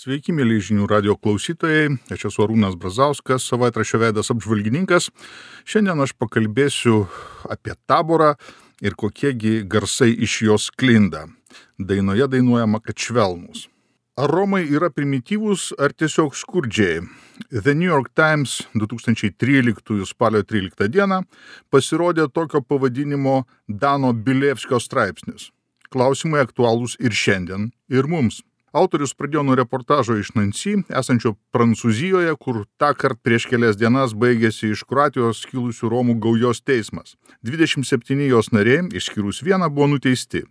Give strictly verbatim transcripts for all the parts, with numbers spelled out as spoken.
Sveiki, mėly žinių radio klausytojai, aš esu Arūnas Brazauskas, savaitraščio Veidas apžvalgininkas. Šiandien aš pakalbėsiu apie Taborą ir kokiegi garsai iš jos sklinda. Dainoje dainuojama, kad švelnūs. Ar Romai yra primityvūs ar tiesiog skurdžiai? The New York Times du tūkstančiai tryliktųjų spalio tryliktą dieną pasirodė tokio pavadinimo Dano Bilevskio straipsnis. Klausimai aktualūs ir šiandien, ir mums. Autorius pradėjo nuo reportažo iš Nancy, esančio Prancūzijoje, kur tąkart prieš kelias dienas baigėsi iš Kroatijos kilusių Romų gaujos teismas. dvidešimt septyni jos nariai, išskyrus vieną, buvo nuteisti.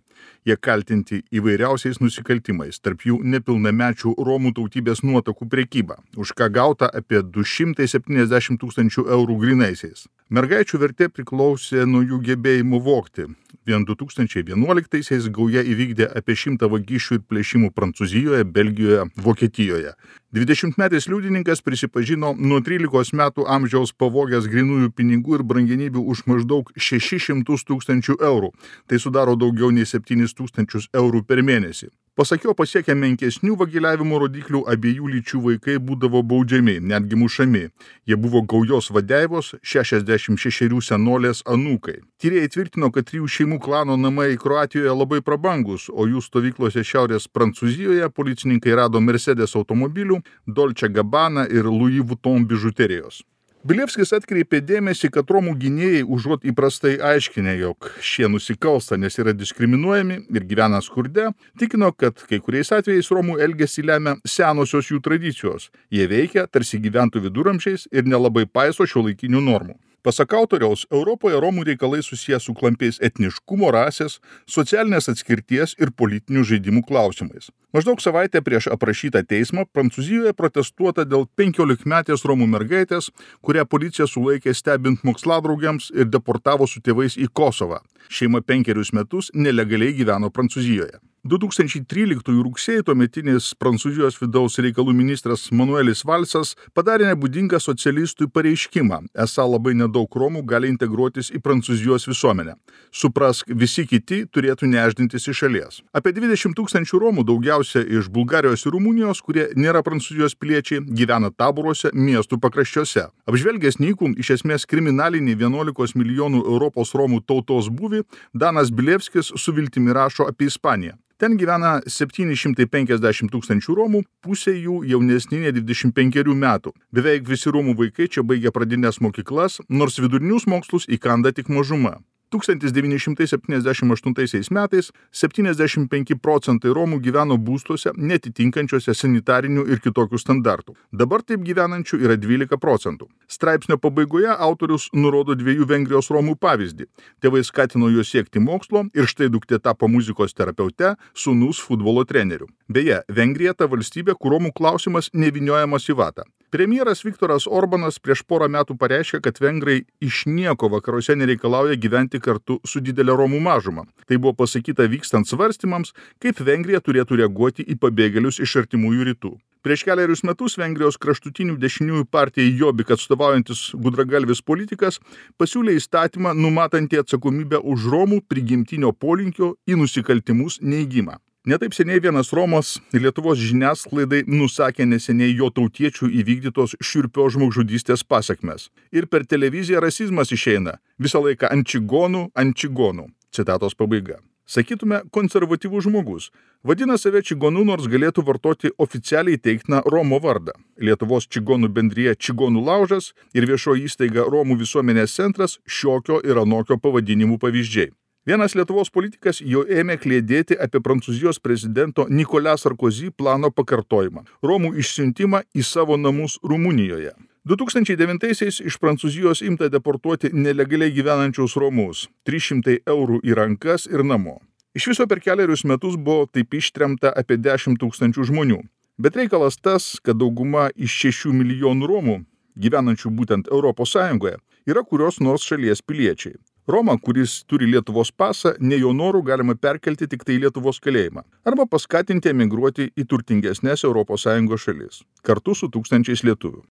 Jie kaltinti įvairiausiais nusikaltimais, tarp jų nepilnamečių Romų tautybės nuotakų prekyba, už ką gauta apie du šimtai septyniasdešimt tūkstančių eurų grynaisiais. Mergaičių vertė priklausė nuo jų gebėjimų vogti. Vien du tūkstančiai vienuoliktaisiais gauja įvykdė apie šimtą vagysčių ir plėšimų Prancūzijoje, Belgijoje, Vokietijoje. dvidešimtmetis liudininkas prisipažino nuo trylikos metų amžiaus pavogęs grynųjų pinigų ir brangenybių už maždaug šešis šimtus tūkstančių eurų. Tai sudaro daugiau nei septynis tūkstančius eurų per mėnesį. Pasak jo, pasiekę menkesnių vagiliavimo rodiklių, abiejų lyčių vaikai būdavo baudžiami, netgi mušami. Jie buvo gaujos vadeivos, šešiasdešimt šešerių senolės anūkai. Tyrėjai tvirtino, kad trijų šeimų klano namai Kroatijoje labai prabangus, o jų stovyklose Šiaurės Prancūzijoje policininkai rado Mercedes automobilių, Dolce Gabbana ir Louis Vuitton bižuterijos. Bilevskis atkreipė dėmesį, kad Romų gynėjai užuot įprastai aiškinę, jog šie nusikalsta, nes yra diskriminuojami ir gyvena skurde, tikino, kad kai kuriais atvejais Romų elgesį lemia senosios jų tradicijos. Jie veikia, tarsi gyventų viduramžiais ir nelabai paiso šiuolaikinių normų. Pasak autoriaus, Europoje Romų reikalai susiję su klampiais etniškumo, rasės, socialinės atskirties ir politinių žaidimų klausimais. Maždaug savaitę prieš aprašytą teismą Prancūzijoje protestuota dėl penkiolikmetės Romų mergaitės, kurią policija sulaikė stebint moksladraugiams ir deportavo su tėvais į Kosovą. Šeima penkerius metus nelegaliai gyveno Prancūzijoje. du tūkstančiai tryliktųjų rugsėjį tuometinis Prancūzijos vidaus reikalų ministras Manuelis Valsas padarė nebūdingą socialistui pareiškimą, esą labai nedaug Romų gali integruotis į Prancūzijos visuomenę. Suprask, visi kiti turėtų neždintis iš šalies. Apie dvidešimt tūkstančių Romų, daugiausia iš Bulgarijos ir Rumunijos, kurie nėra Prancūzijos piliečiai, gyvena taboruose miestų pakraščiuose. Apžvelgęs nykų, iš esmės kriminalinį vienuolikos milijonų Europos Romų tautos būvį, Danas Bilevskis su viltimi rašo apie Ispaniją. Ten gyvena septyni šimtai penkiasdešimt tūkstančių Romų, pusė jų jaunesni nei dvidešimt penkerių metų. Beveik visi Romų vaikai čia baigia pradines mokyklas, nors vidurinius mokslus įkanda tik mažuma. tūkstantis devyni šimtai septyniasdešimt aštuntaisiais metais septyniasdešimt penki procentai Romų gyveno būstuose netitinkančiuose sanitarinių ir kitokių standartų. Dabar taip gyvenančių yra dvylika procentų. Straipsnio pabaigoje autorius nurodo dviejų Vengrijos Romų pavyzdį. Tėvai skatino juos siekti mokslo ir štai duktė tapo muzikos terapeute, sūnus futbolo treneriu. Beje, Vengrija ta valstybė, kur Romų klausimas nevyniojamas į vatą. Premjeras Viktoras Orbanas prieš porą metų pareiškė, kad vengrai iš nieko vakaruose nereikalauja gyventi kartu su didelė Romų mažuma. Tai buvo pasakyta vykstant svarstymams, kaip Vengrija turėtų reaguoti į pabėgėlius iš artimųjų rytų. Prieš keliarius metus Vengrijos kraštutinių dešiniųjų partijai Jobbik atstovaujantis gudragalvis politikas pasiūlė įstatymą numatantį atsakomybę už Romų prigimtinio polinkio į nusikaltimus neigimą. Netaip seniai vienas Romas Lietuvos žiniasklaidai nusakė neseniai jo tautiečių įvykdytos šiurpios žmogžudystės pasekmes. Ir per televiziją rasizmas išeina visą laiką ant čigonų, ant čigonų. Citatos pabaiga. Sakytume, konservatyvus žmogus. Vadina save čigonu, nors galėtų vartoti oficialiai teiktiną Romo vardą. Lietuvos čigonų bendrija Čigonų laužas ir viešoji įstaiga Romų visuomenės centras šiokio ir anokio pavadinimų pavyzdžiai. Vienas Lietuvos politikas jau ėmė kliedėti apie Prancūzijos prezidento Nicolas Sarkozy plano pakartojimą – Romų išsiuntimą į savo namus Rumunijoje. du tūkstančiai devintaisiais iš Prancūzijos imta deportuoti nelegaliai gyvenančius Romus – trys šimtai eurų į rankas ir namo. Iš viso per keliarius metus buvo taip ištremta apie dešimt tūkstančių žmonių. Bet reikalas tas, kad dauguma iš šešių milijonų Romų, gyvenančių būtent Europos Sąjungoje, yra kurios nors šalies piliečiai. Romą, kuris turi Lietuvos pasą, ne jo norų galima perkelti tik tai Lietuvos kalėjimą arba paskatinti emigruoti į turtingesnės Europos Sąjungos šalis, kartu su tūkstančiais lietuvių.